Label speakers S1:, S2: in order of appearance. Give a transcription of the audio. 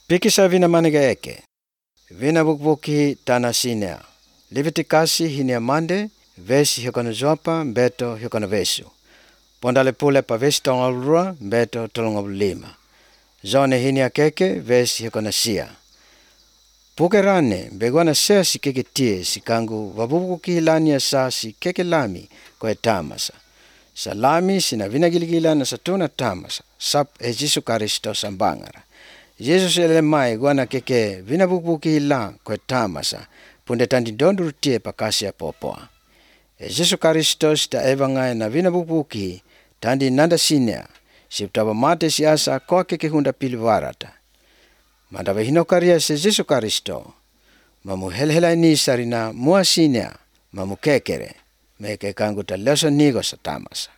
S1: Pikisa vina manega eke. Vina bukbuki tana sinea. Levitikasi hinia mande, vesi hikona zopa, beto hikona vesu. Pondale pule pa vesi tongalurua, beto tolongabulima. Zone hinia keke, vesi hikona sia. Pukerane, begwana sea si keke tie, si kangu wabubuki hilania sa si keke lami koe tamasa. Sa lami sina vina giligila na satuna tamasa, sap Jesu Karisto sambangara. Yesus elemai gwana keke vina bubuki hila koe tamasa, punde tandi dondur tie pakasia popoa. Jesu Karisto sita evangai na vina bubuki tandi nanda sinea, siptaba mate siasa koa keke hunda piliwarata. Mandawa hinokaria se Jesu Karisto, mamu helhela ini sarina mua sinea, mamu kekere, meke kangu ta leso nigo sa tamasa.